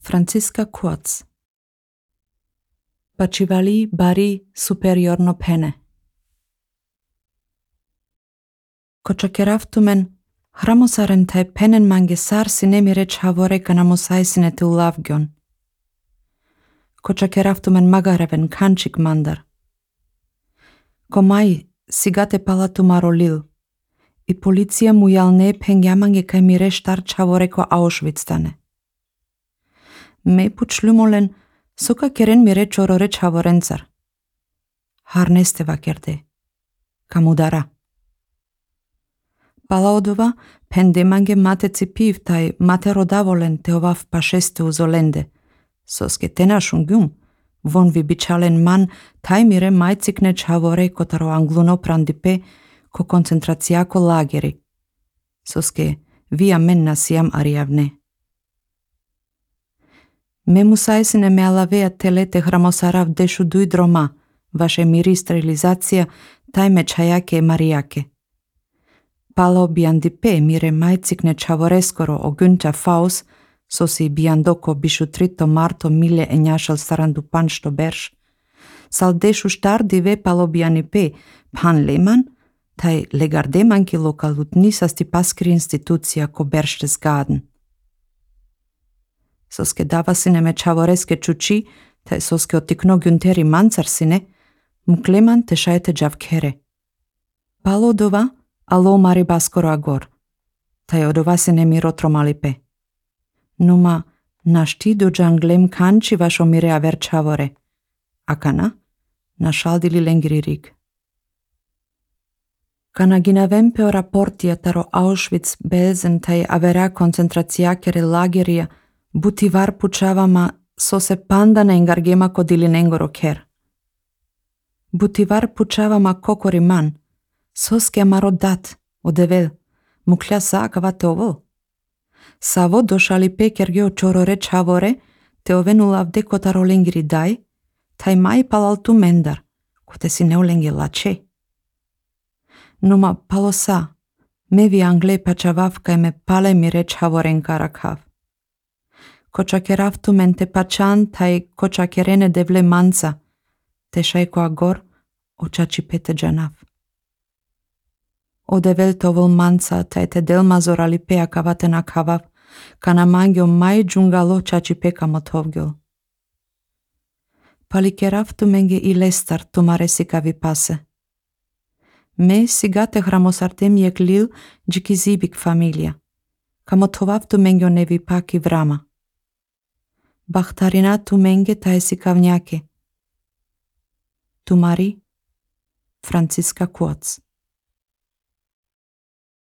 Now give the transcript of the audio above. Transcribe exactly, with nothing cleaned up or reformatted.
Franziska Kurz. Bacivali bari superiorno pene. Kočakeraftumen hramosaren tai penen mange sar sinemi rech havore kanamosai sinete ulavgion. Kočakeraftumen magareven kanchik mandar. Komai sigate palatu marolil. I policija mujalne pengyamange kai mire štar čavore ko Auschwitz-tane. Me pučlumolen soka keren mire čorore čavorencar. Harneste vakerde. Kamudara. Palaodova pendemange mate cipiv tai mate rodavolen teovav pašeste uzolende. Soske tenašungyum, von vi bičalen man tai mire majcikne čavore kotaro angluno prandipe ko koncentracijako lageri. Soske via menna siam ariavne. Me musaisine me alavea telete hramosarav dešu duj droma, vaše miri sterilizacija taj me čajake marijake. Palo biandipe mire majcikne čavoreskoro o Günther Faus, sosi biandoko bišu trito marto mile enjašal starandu panšto berš, sal dešu štar dive palo bianipe pan leman, taj legardemanki lokalut nisasti paskri institucija ko beršte zgaden. Soske davasine me čavoreske čuči, taj soske otikno Güntheri mancarsine, mukleman te šajete džavkere. Palodova alo mari baskoro agor, taj odovasine mi rotromalipe. Numa našti do džanglem kanči vašo mire aver čavore, akana našaldili lengririg. Kana ginavem peo raportia taro Auschwitz belzen taj avera koncentracijakere lagerija, buti var pučavama so se pandana engargema kodili nengoro ker. Buti var pučavama kokori man, soske amaro dat, odevel, muklja saakavate ovo. Savo došali pekergeo čorore čavore, te ovenulavde kotaro lengiri daj, taj mai palaltu mendar, kote si neulengi lače. Numa palosa, mevi angle pačavavka e me pale mi reč havoren karakav. Kočakeraftu mente pačan taj kočakerene devle manca, te šajko agor očači pete džanav. Odevel tovol manca taj te delmazorali pea kavate na kavav, kana mangio mai džungalo čači peka motovgil. Palikeraftu menge i lestar tumare sikavi pase. Me sigate hramosartem jeklil džiki zibik familia, kamotovavtu mengio nevi paki vrama. Bahtarina tu menge taj sikavnjake. Tumari Franziska Kurz.